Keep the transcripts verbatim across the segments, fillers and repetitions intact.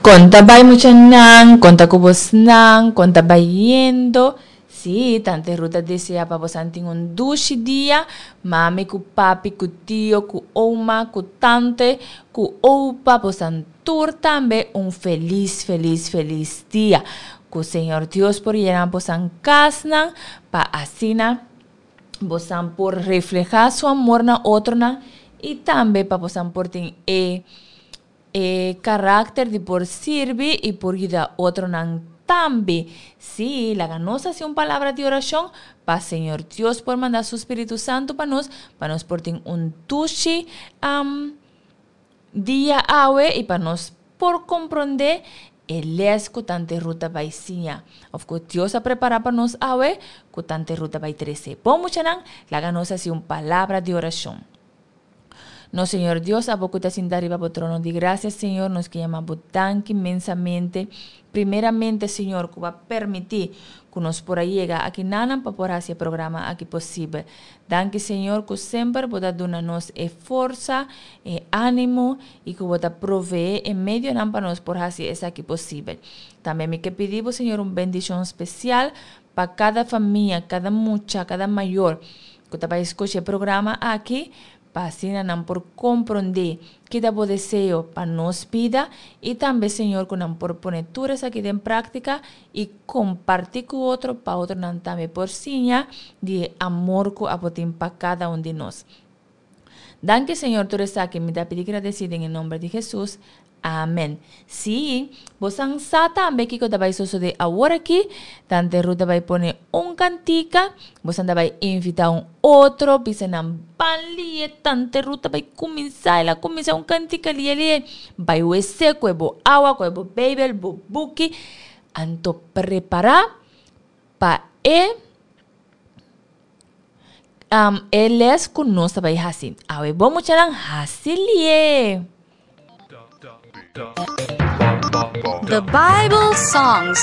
Kon ta bai muchanan, kon ta ku bosnan, kon ta bayendo? Sí, Tante Ruth ta deseá pa bosan tin un dushi dia, mami ku papi ku tio ku oma ku tante ku opa, bosan tur tambe un felis felis felis dia. Ku Señor Dios por yena bosan kasnan pa asina bosan por reflehá su amor na otronan i tambe pa bosan por tin e e karakter di por sirbi i por yuda otronan tambe. Sí, laga nos hasi un palabra di orashon pa Señor Dios por manda su Spiritu Santu pa nos, pa nos por tin un dushi dia awe i pa nos por komprondé e lès ku Tante Ruth ta bai siña òf ku Dios a prepará pa nos awe ku Tante Ruth ta bai trese. Bon muchanan, laga nos hasi un palabra di orashon. Nos Señor Dios, abo ku ta sinta riba bo trono di grasia, Señor, nos ke yama bo danki inmensamente. Primeramente, Señor, ku bo a permití ku nos por a yega aki nanan pa por hasi e programa aki posibel. Danki, Señor, ku semper bo ta duna nos e forsa, e ánimo i ku bo ta proveé e medionan pa nos por hasi esaki posibel. Tambe mi ke pidi bo, Señor, un bendishon spesial pa kada famia, kada mucha, kada mayor ku ta bai skucha e programa aki, pa asina nan por komprondé ki ta bo deseo pa nos bida i tambe Señor ku nan por pone tur esaki den práktika i kompartí ku otro pa otronan tambe por siña di e amor ku abo tin pa kada un di nos. Danki Señor tur esaki mi ta pidi gradesí den e nomber di Hesus. Amen. Sí, bosan sa tambe kiko ta bai sosodé awor aki. Tante Ruth ta bai pone un kantika. Bosan ta bai invitá un otro, bisa nan ban lie. Tante Ruth ta bai kuminsá, el a kuminsá un kantika lie lie. Bai wc, kohe bo awa, kohe bo beibel, bo buki. Anto prepará pa e e les ku nos ta bai hasi. Awe bo muchanan hasi lie. The Bible Songs.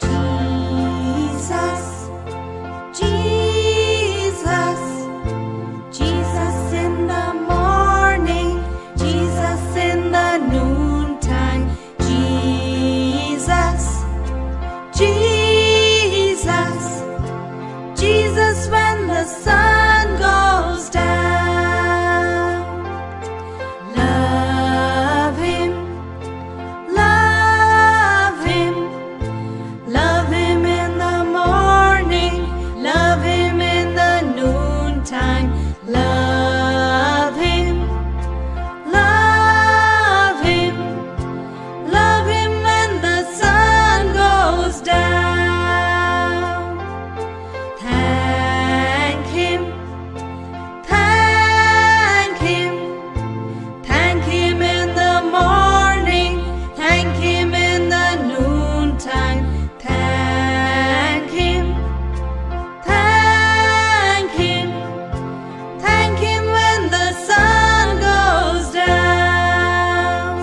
Jesus, Jesus, Jesus in the morning, Jesus in the noontime, Jesus, Jesus, Jesus when the sun goes down. Love him, love him, love him in the morning, love him in the noontime, love him, love him, love him when the sun goes down. Thank him, thank him, thank him in the morning, thank him in the noontime, thank him, thank him, thank him when the sun goes down.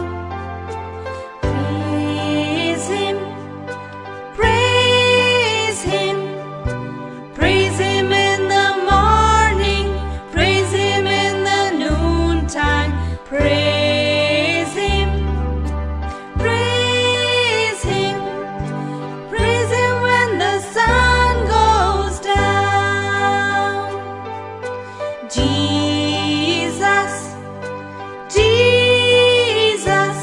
Praise him, praise him, praise him in the morning, praise him in the noontime, praise him, praise him, praise him when the sun goes down. Jesus, Jesus,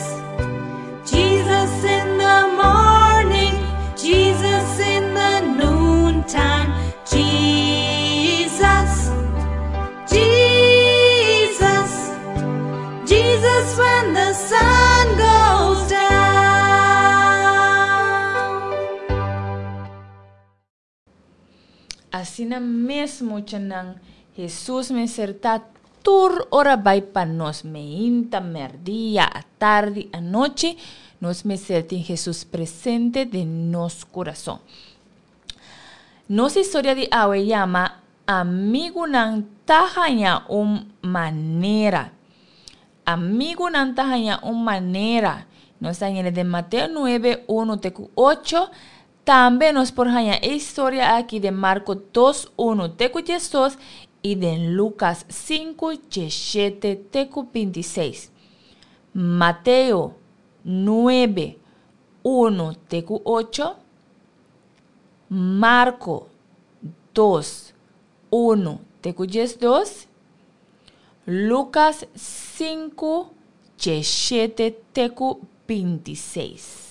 Jesus in the morning, Jesus in the noontime, Jesus, Jesus, Jesus when the sun goes down. Asina mes muchanan, Hesus mester ta tur ora bai pa nos, meinta, merdia, atardi, anochi, nos mester tin Hesus presente den nos kurason. Nos historia di awe yama Amigunan ta haña un manera. Amigunan ta haña un manera. Nos ta hañ'é den Mateo nuebe, unu te ku ocho. Tambe nos por haña e historia aki den Marko dos, unu te ku diesdos i den Lukas sinku, diesshete te ku binti seis. Mateo nuebe, unu te ku ocho. Marko dos, unu te ku diesdos. Lukas sinku, diesshete te ku binti seis.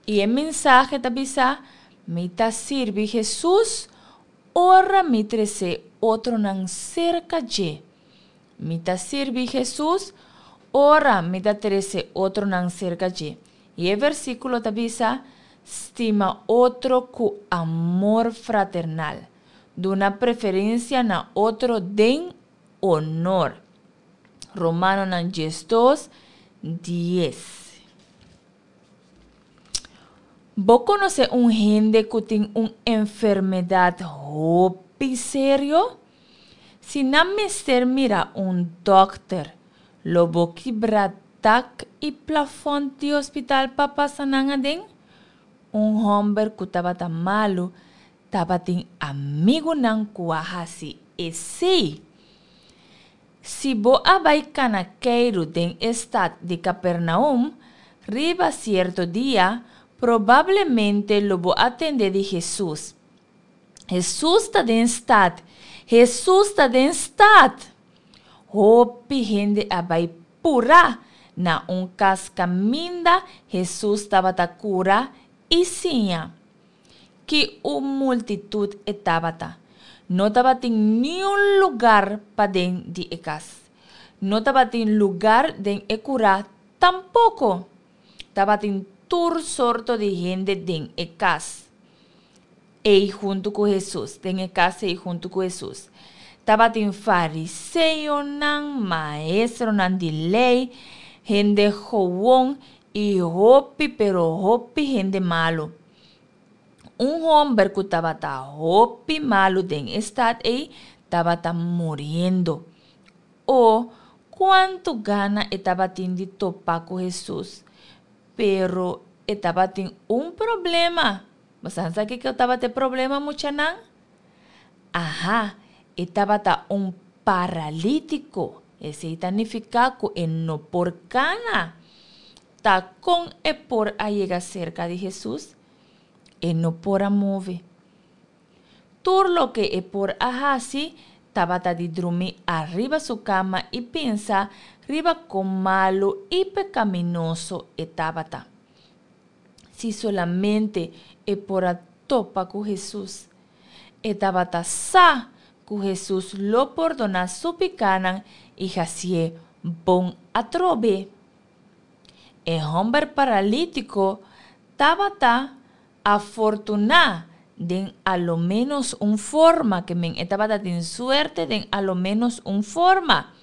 I e mensahe ta bisa, Mi ta sirbi Hesus ora mi trese otronan serka dje. Mi ta sirbi Hesus ora mi ta trese otronan serka dje. I e versíkulo ta bisa, Stima otro ku amor fraternal. Duna preferensia na otro den honor. Romanonan diesdos, dies. Bo konosé un hende ku tin un enfermedat hopi serio? Si nan mester mira un dòkter, lo bo kibra dak i plafònt di hospital pa pasa nan aden? Un hòmber ku tabata malu tabatin amigunan ku a hasi esei. Si bo a bai kana keiru den e stat di Kapernaum riba sierto dia, probablemente lo bo a tende di Hesus. Hesus ta den stat! Hesus ta den stat! Hopi hende a bai purá na un kas kaminda Hesus tabata kura i siña. Ki un multitut e tabata! No tabatin niun lugar paden di e kas. No tabatin lugar den e kurá tampoko. Tabatin tur sorto di hende den e kas ei huntu ku Hesus, den e kas ei huntu ku Hesus. Tabatin fariseonan, maestronan di lei, hende gewon i hopi pero hopi hende malu. Un hòmber ku tabata hopi malu den e stat ei tabata muriendo. O, kuantu gana e tabatin di topa ku Hesus! Pero e tabatin un problema. Bo sa sa kiko tabata e problema, muchanan? Aha, e tabata un paralítiko. Esei ta nifiká ku e no por kana. Ta kon e por a yega serka di Hesus? E no por a move. Tur loke e por a hasi tabata di drumi ariba su kama i pensa riba kon malu i pekaminoso e tabata. Si solamente e por a topa ku Hesus! E tabata sa ku Hesus lo pordoná su pikánan i hasié bon atrobe. E hòmber paralítiko tabata afortuná den a lo ménos un forma, ke men e tabata tin suerte den a lo ménos un forma.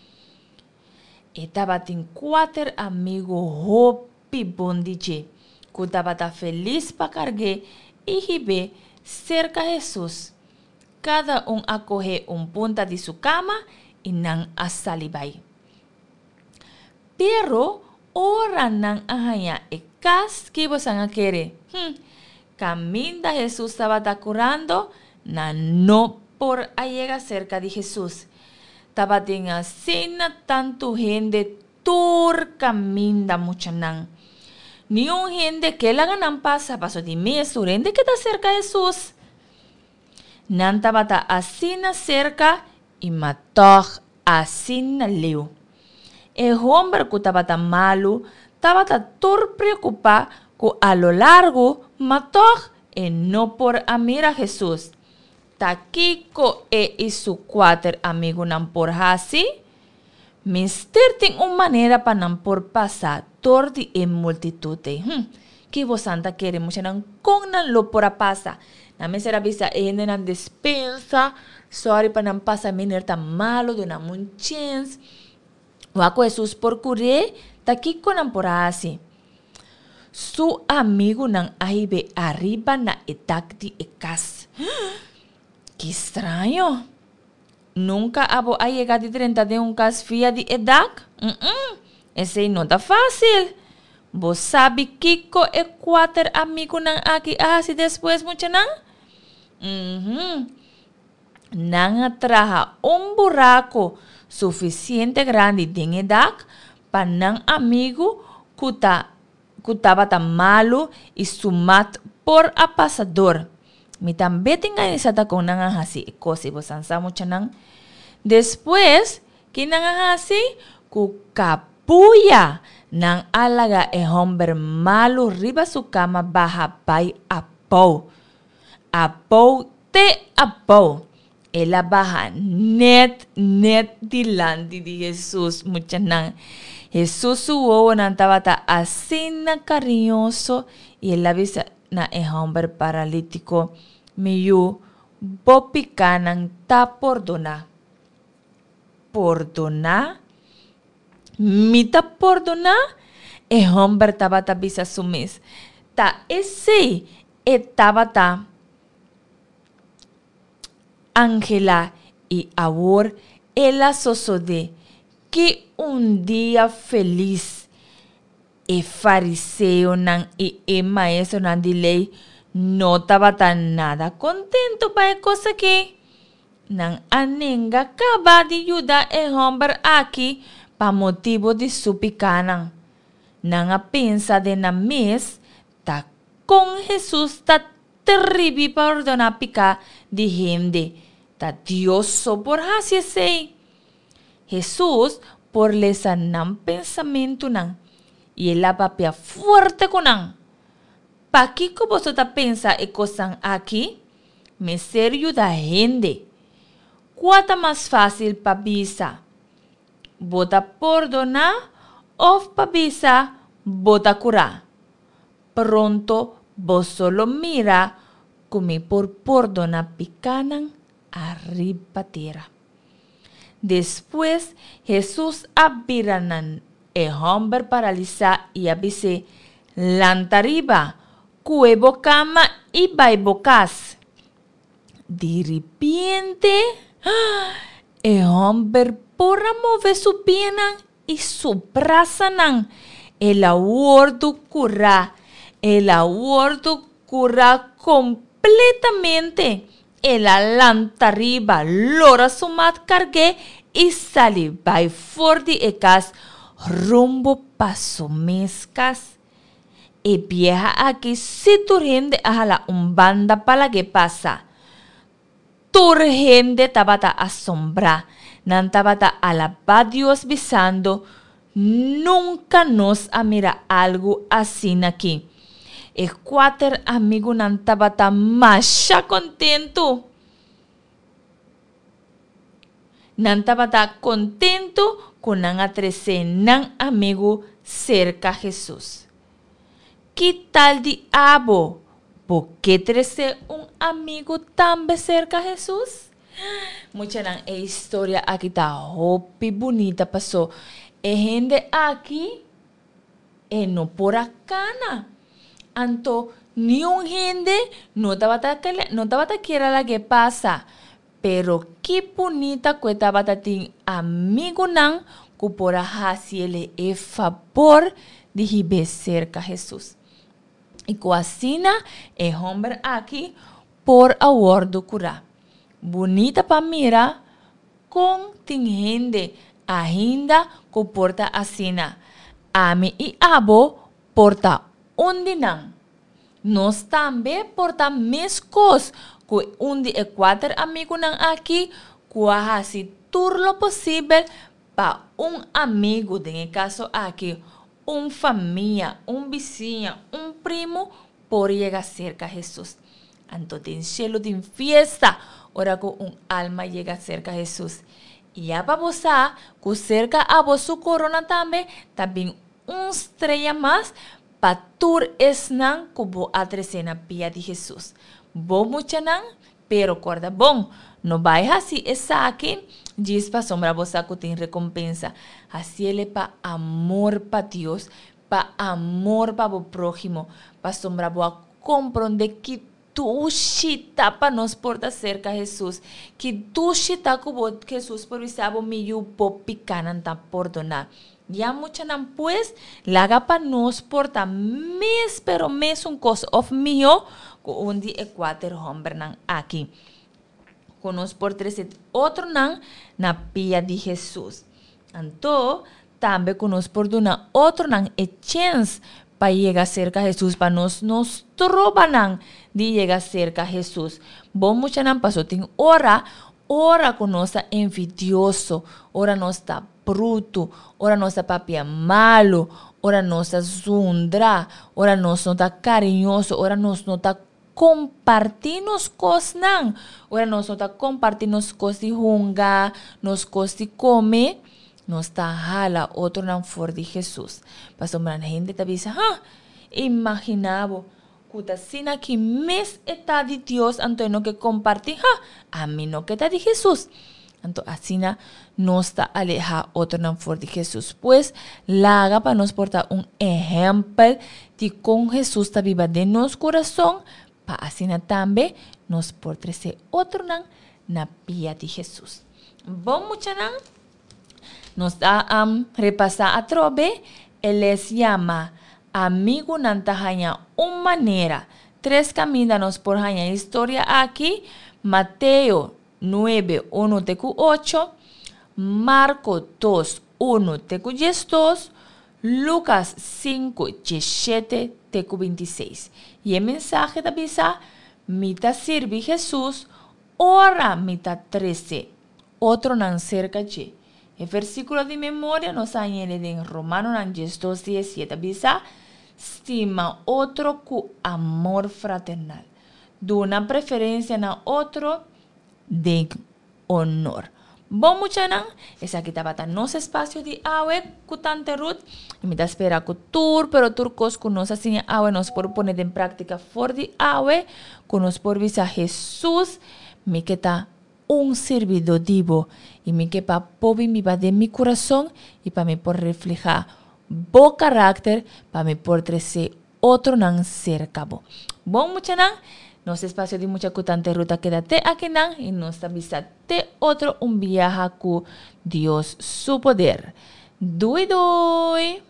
E tabatin kuater amigu hopi bon di dje, ku tabata felis pa karg'é i hib'é serka Hesus. Kada un a kohe un punta di su kama i nan a sali bai. Pero ora nan a haña e kas, ki bosan a kere? Hm, kaminda Hesus tabata kurando, nan no por a yega serka di Hesus. Tabatin asina tantu hende tur kaminda, muchanan. Niun hende ke laga nan pasa, paso di mes tur hende ke ta serka Hesus. Nan tabata asina serka i ma tòg asina leu. E homber ku tabata malu tabata tur preokupá ku a lo largu ma tòg e no por a mira Hesus. Ta kiko e i su kuater amigunan por hasi? Mester tin un manera pa nan por pasa dor di e multitut ei. Hm, ki bosan ta kere, muchanan? Kon nan lo por a pasa? Nan mester a bisa e hendenan despensa, sòri pa nan pasa, meneer ta malu, duna nan un chèns. Wak ku Hesus por kur'é, ta kiko nan por a hasi? Su amigunan a hib'é ariba na e dak di e kas. Ki straño! Nunka abo a yega di drenta den un kas via di e dak? Mm-mm, esei no ta fásil! Bo sabi kiko e kuater amigunan aki a hasi despues, muchanan? Mhm. Nan a traha un buraku sufisiente grandi den e dak pa nan amigu ku ta ku tabata malu i su mat por a pasa dor. Mi tambe tin gana di sa ta kon nan a hasi e kos ei, boso sa, muchanan? Despues, ki nan a hasi? Ku kabuya nan a laga e hòmber malu riba su kama baha bai abou. Abou te abou. El a baha nèt nèt dilanti di Hesus, muchanan. Hesus su wowonan tabata asina kariñoso i el a bisa na e hòmber paralítiko, Mi yu, bo pikánan ta pordoná. Pordoná? Mi ta pordoná? E hòmber tabata bisa su mes. Ta esei e tabata anhelá i awor el a sosodé. Ki un dia felis! E fariseonan i e maestronan di lei no tabata nada kontentu pa e kos akí. Nan a nenga kaba di yuda e hòmber akí pa motibu di su pikánan. Nan a pensa den nan mes, Ta kon Hesus ta tribi pa ordoná piká di hende? Ta Dios so por hasi esei. Hesus por lesa nan pensamentunan, i el a papia fuerte ku nan, Pakiko boso ta pensa e kosnan akí? Mester yuda hende. Kua ta mas fásil pa bisa, Bo ta pordoná òf pa bisa, Bo ta kurá? Pronto boso lo mira ku mi por pordoná pikánan ariba tera. Despues Hesus a bira na e hòmber paralisá i a bis'é, Lanta riba, kue bo kama i bai bo kas. Di ripiente, e hòmber por a move su pianan i su brasanan. El a wòrdu kurá! El a wòrdu kurá kompletamente! El a lanta riba, lora su mat karg'é i sali bai for di e kas rumbo pa su mes kas. E bieha aki si tur hende a hala un banda pa lag'é pasa. Tur hende tabata asombrá. Nan tabata alabá Dios bisando, Nunka nos a mira algu asin'akí. E kuater amigunan tabata masha kontentu. Nan tabata kontentu ku nan a trese nan amigu serka Hesus. Ki tal di abo? Bo ke trese un amigu tambe serka Hesus? Muchanan, e historia aki ta hopi bunita paso e hende aki e no por a kana. Anto niun hende no tabata no tabata kier a lag'é pasa. Pero ki bunita ku e tabata tin amigunan ku por a hasiele e fabor di hib'é serka Hesus. I ku asina e hòmber aki por a wòrdu kurá. Bunita pa mira kon tin hende ainda ku por ta asina. Ami i abo por ta un di nan. Nos tambe por ta meskos ku un di e kuater amigunan aki ku a hasi tur lo posibel pa un amigu, den e kaso aki un famia, un bisiña, un primu, por yega serka Hesus. Anto den shelu tin fiesta ora ku un alma yega serka Hesus. I ya pa bo sa ku serka abo su korona tambe ta bin un strea mas pa tur esnan ku bo a trese na pia di Hesus. Bo muchanan, pero kòrda bon, no bai hasi esaki djis pasobra bo sa ku tin rekompensa. Hasiel e pa amor pa Dios, pa amor pa bo próhimo, pasobra bo a komprondé ki dushi ta pa nos por ta serka Hesus, ki dushi ta ku bo Hesus por bisa bo, Mi yu, bo pikánan ta pordoná. Ya muchanan pues, laga pa nos por ta mes pero mesun kos òf mihó ku un di e kuater hòmbernan aki. Ku nos por trese otronan na pia di Hesus. Anto, tambe ku nos por duna otronan e chèns pa yega serka Hesus, pa nos no stroba nan di yega serka Hesus. Bon muchanan, paso tin ora, ora ku nos ta envidioso, ora nos ta brutu, ora nos ta papia malu, ora nos ta zundra, ora nos no ta kariñoso, ora nos no ta kompartí nos kosnan, ora nos no ta kompartí nos kos di hunga, nos kos di kome, nos ta hala otronan for di Hesus. Pasobra hende ta bisa, ha, imaginá bo, ku ta asina ki mes e ta di Dios, anto e no ke kompartí, ha, ami no ke ta di Hesus. Anto asina nos ta alehá otronan for di Hesus. Pues, laga pa nos por ta un ehèmpel di kon Hesus ta biba den nos kurason, pa asina tambe nos por trese otronan na pia di Hesus. Bon muchanan, nos ta um, repasá atrobe, e les yama Amigunan ta haña un manera. Tres kaminda nos por haña historia aki, Mateo nuebe, unu te ku ocho, Marko dos, unu te ku diesdos, Lukas sinku, diesshete te ku bintiseis. I e mensahe ta bisa, Mi ta sirbi Hesus ora mi ta trese otronan serka dje. E versíkulo di memoria nos a hañ'é den Romanonan diesdos diessiete ta bisa, Stima otro ku amor fraternal. Duna preferensia na otro den honor. Bon muchanan, esaki tabata nos espasio di awe ku Tante Ruth. I mi ta spera ku tur, pero tur kos ku nos a siña awe nos por pone den práktika for di awe, ku nos por bisa Hesus, mi ke ta un sirbidó di bo i mi ke pa bo bin biba den mi kurason i pa mi por reflehá bo karakter, pa mi por trese otronan serka bo. Bon muchanan, nos espasio di Mucha ku Tante Ruth a keda te akinan i nos ta bisa te otro un biaha ku Dios su poder. Dui dui!